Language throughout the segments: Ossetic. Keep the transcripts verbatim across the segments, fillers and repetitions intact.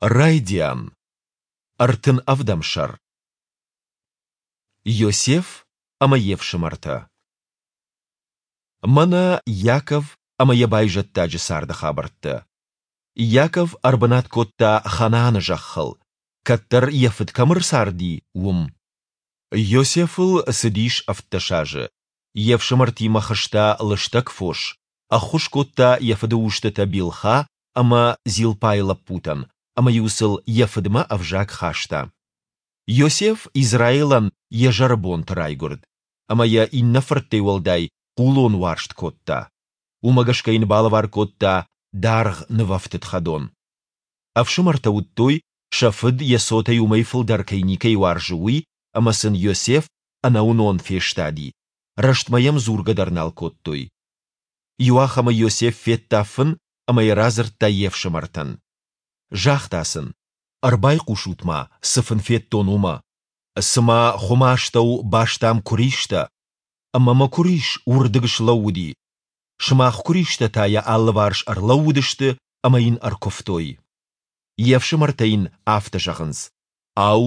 Райдиан. Ӕртын ӕвдӕм сӕр. Иосиф ӕмӕ йе фсымӕртӕ. Мӕнӕ Иаков ӕмӕ йӕ байзӕддаджы царды хабӕрттӕ. Иаков ӕрбынат кодта Ханааны зӕххыл, кӕддӕр йӕ фыд кӕм ӕрцарди, уым. Иосифыл цыдис ӕвддӕс азы. Йе фсымӕртимӕ хызта лыстӕг фос, ӕххуыс кодта йӕ фыды устытӕ Билха ӕмӕ Зилпайы лӕппутӕн ӕмӕ-иу сыл йӕ фыдмӕ ӕвзаг хаста. Иосиф Израилӕн йӕ зӕры бонты райгуырд, ӕмӕ йӕ иннӕ фырттӕй уӕлдай хъулон уарзт кодта. Уымӕ гӕсгӕ йын балӕвар кодта даргъ нывӕфтыд хӕдон. Ӕфсымӕртӕ уыдтой, сӕ фыд йӕ цотӕй уымӕй фылдӕр кӕй никӕй уарзы, уый, ӕмӕ сын Иосиф ӕнӕуынон фестади, рӕстмӕ йӕм дзургӕ дӕр нал кодтой. Иуахӕмы Иосиф федта фын ӕмӕ йӕ радзырдта йе фсымӕртӕн. Загъта сын: Ӕрбайхъусут-ма, цы фын федтон, уымӕ. Цыма хуымы астӕу бастам куыристӕ, ӕмӕ мӕ куырис уырдыг слӕууыди. Сымах куыристӕ та йӕ алыварс ӕрлӕууыдысты ӕмӕ йын ӕркуывтой. Йе фсымӕртӕ йын афтӕ зӕгъынц: Ау,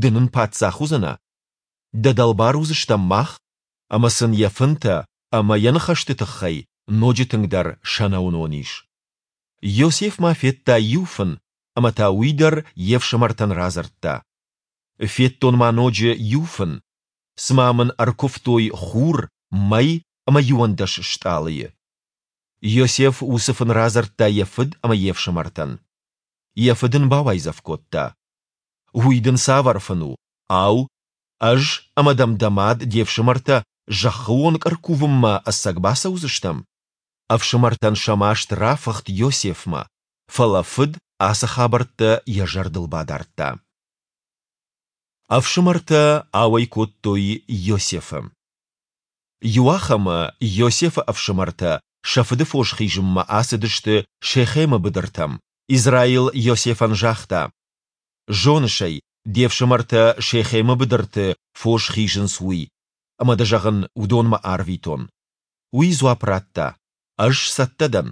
ды нын паддзах уыдзынӕ? Дӕ дӕлбар уыдзыстӕм мах? Ӕмӕ сын йӕ фынтӕ ӕмӕ йӕ ныхӕсты тыххӕй ноджы тынгдӕр сӕнӕуынон ис. Иосиф ма федта иу фын ӕмӕ та уый дӕр йе фсымӕртӕн радзырдта. Федтон ма ноджы иу фын. Цыма мын ӕркуывтой хур, мӕй ӕмӕ иуӕндӕс стъалыйы. Иосиф уыцы фын радзырдта йӕ фыд ӕмӕ йе фсымӕртӕн. Йӕ фыд ын бауайдзӕф кодта: Уый дын цавӕр фын у? Ау, ӕз ӕмӕ дӕм дӕ мад, де фсымӕртӕ зӕххы онг ӕркувынмӕ ӕцӕг бацӕудзыстӕм? Ӕфсымӕртӕн сӕ маст рафыхт Иосифмӕ, фӕлӕ фыд ацы хабӕрттӕ йӕ зӕрдыл бадардта. Ӕфсымӕртӕ ауӕй кодтой Иосифы. Иуахӕмы Иосифы ӕфсымӕртӕ сӕ фыды фос хизынмӕ ацыдысты Шехемы быдыртӕм. Израил Иосифӕн загъта: Зоныс ӕй, де фсымӕртӕ Шехемы быдырты фос хизынц, уый, ӕмӕ дӕ, зӕгъын, уыдонмӕ арвитон. Уый дзуапп радта: Ӕз цӕттӕ дӕн.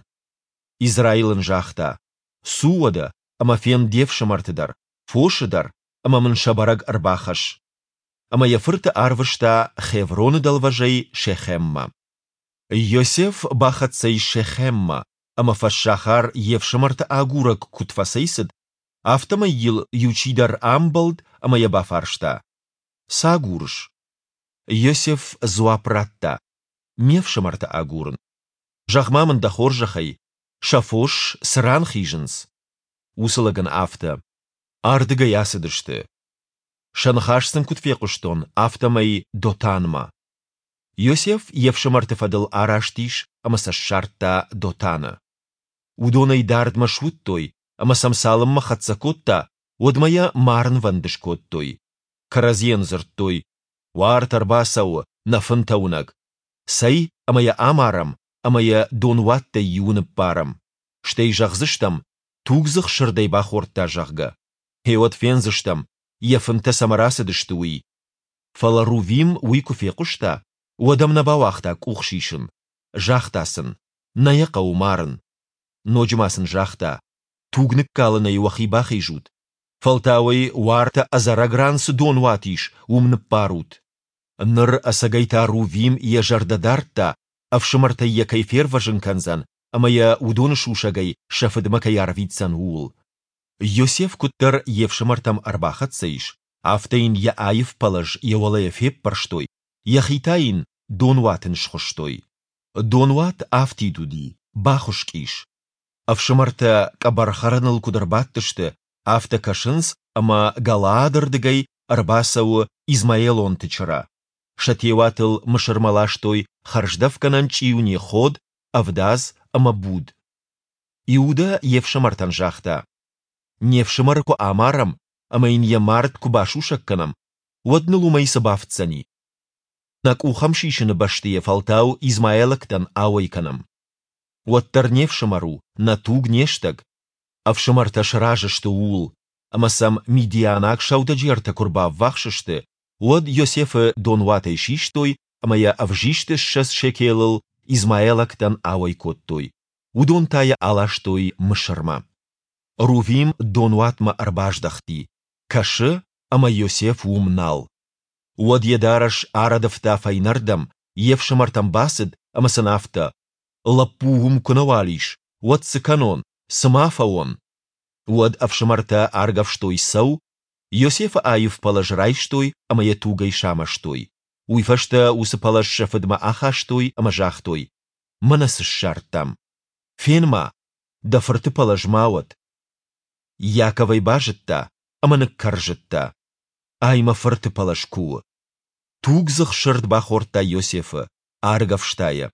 Израил ын загъта: Цу уӕдӕ ӕмӕ фен де фсымӕрты дӕр, фосы дӕр ӕмӕ мын сӕ бӕрӕг ӕрбахӕсс. Ӕмӕ йӕ фырты арвыста Хевроны дӕлвӕзӕй Шехеммӕ. Иосиф бахӕццӕ ис Шехеммӕ, ӕмӕ фӕссахар йе фсымӕрты агурӕг куыд фӕцӕйцыд, афтӕмӕй йыл иу чидӕр амбӕлд ӕмӕ йӕ бафарста: Цы агурыс? Иосиф дзуапп радта: Ме фсымӕрты агурын. Зӕгъ-ма мын дӕ хорзӕхӕй, сӕ фос цы ран хизынц? Уыцы лӕг ын афтӕ: Ардыгӕй ацыдысты. Сӕ ныхас сын куыд фехъуыстон, афтӕмӕй Дотанмӕ. Иосиф йе фсымӕрты фӕдыл араст ис ӕмӕ сӕ ссардта Дотаны. Уыдон ӕй дардмӕ суыдтой, ӕмӕ сӕм цалынмӕ хӕццӕ кодта, уӕдмӕ йӕ марынвӕнд скодтой. Кӕрӕдзийӕн дзырдтой: Уарт ӕрбацӕуы, нӕ фынтӕ уынӕг. Цӕй, ӕмӕ йӕ амарӕм ӕмӕ йӕ донуӕттӕй иуы ныппарӕм. Стӕй зӕгъдзыстӕм, тугдзых сырд ӕй бахордта, зӕгъгӕ. Гъеуӕд фендзыстӕм, йӕ фынтӕ цӕмӕ рацыдысты, уый. Фӕлӕ Рувим уый куы фехъуыста, уӕд ӕм нӕ бауагъта къух сисын. Загъта сын: Нӕ йӕ хъӕуы марын. Ноджы ма сын загъта: Туг ныккалынӕй уӕхи бахизут. Фӕлтау ӕй уартӕ ӕдзӕрӕг ран цы донуат ис, уым ныппарут. Ныр ӕцӕгӕй та Рувим йӕ зӕрдӕ дардта, ӕфсымӕртӕй йӕ кӕй фервӕзын кӕндзӕн ӕмӕ йӕ уыдоны сусӕгӕй сӕ фыдмӕ кӕй арвитдзӕн, ууыл. Иосиф куыддӕр йе фсымӕртӕм ӕрбахӕццӕ ис, афтӕ йын йӕ аив пӕлӕз йӕ уӕлӕйӕ феппӕрстой, йӕхи та йын донуаты нысхуыстой. Донуат афтид уыди, бахуыскъ ис. Ӕфсымӕртӕ къӕбӕр хӕрыныл куыд ӕрбадтысты, афтӕ кӕсынц, ӕмӕ Галаады рдыгӕй ӕрбацӕуы измаэлонты чырӕ. Сӕ теуатыл Мысырмӕ ластой хӕрздӕфгӕнӕн чъиуне ход, ӕвдадз ӕмӕ буд. Иудӕ йе фсымӕртӕн загъта: Не фсымӕры куы амарӕм ӕмӕ йын йӕ мард куы басусӕг кӕнӕм, уӕд ныл уымӕй цы бафтдзӕни? Нӕ къух ӕм сисыны бӕсты йӕ фӕлтау измаэлӕгтӕн ауӕй кӕнӕм. Уӕддӕр не фсымӕр у, нӕ туг, не стӕг. Ӕфсымӕртӕ сразы сты ууыл, ӕмӕ сӕм мидианаг сӕудӕджертӕ куы рбаввахс сты, уӕд Иосифы донуатӕй систой ӕмӕ йӕ ӕвзист ссӕдз шекелыл измаэлӕгтӕн ауӕй кодтой, уыдон та йӕ аластой Мысырмӕ. Рувим донуатмӕ ӕрбаздӕхти. Кӕсы, ӕмӕ Йосеф уым нал. Уӕд йӕ дарӕс арӕдывта фӕйнӕрдӕм, йе фсымӕртӕм бацыд ӕмӕ сын афтӕ, Лӕппу уым куы нӕуал ис, уӕд цы кӕнон, цы ма фӕуон? Уӕд ӕфсымӕртӕ аргӕвстой цӕу, Йосефы аив пӕлӕз райстой ӕмӕ йӕ тугӕй самӕстой. Уый фӕстӕ уыцы пӕлӕз сӕ фыдмӕ ахастой ӕмӕ загътой, Мӕнӕ цы ссардтам. Фен-ма, дӕ фырты пӕлӕз ма уӕд. Иаков ӕй базыдта ӕмӕ ныккӕрзыдта. Ай мӕ фырты пӕлӕз куы у! Тугдзых сырд бахордта Йосефы, аргӕвста йӕ.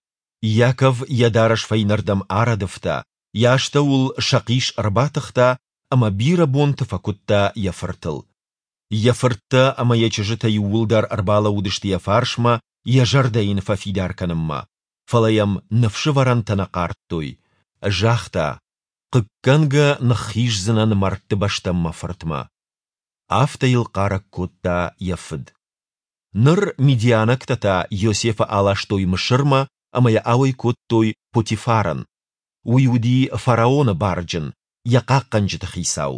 Иаков йӕ дарӕс фӕйнӕрдӕм арӕдывта, йӕ астӕуыл сӕхъис ӕрбатыхта ӕмӕ бирӕ бонты фӕкуыдта йӕ фыртыл. Йӕ фырттӕ ӕмӕ йӕ чызджытӕ иууылдӕр ӕрбалӕууыдысты йӕ фарсмӕ йӕ зӕрдӕ йын фӕфидар кӕнынмӕ, фӕлӕ йӕм ныфсывӕрӕнтӕ нӕ хъардтой. Загъта, Хъыггӕнгӕ ныххиздзынӕн мӕрдты бӕстӕм мӕ фыртмӕ. Афтӕ йыл хъарӕг кодта йӕ фыд. Ныр мидианӕгтӕ та Йосефы аластой Мысырмӕ ӕмӕ йӕ ауӕй кодтой Потифарӕн. Уый уыди фараоны барджын, йӕ хъахъхъӕнджыты хицау.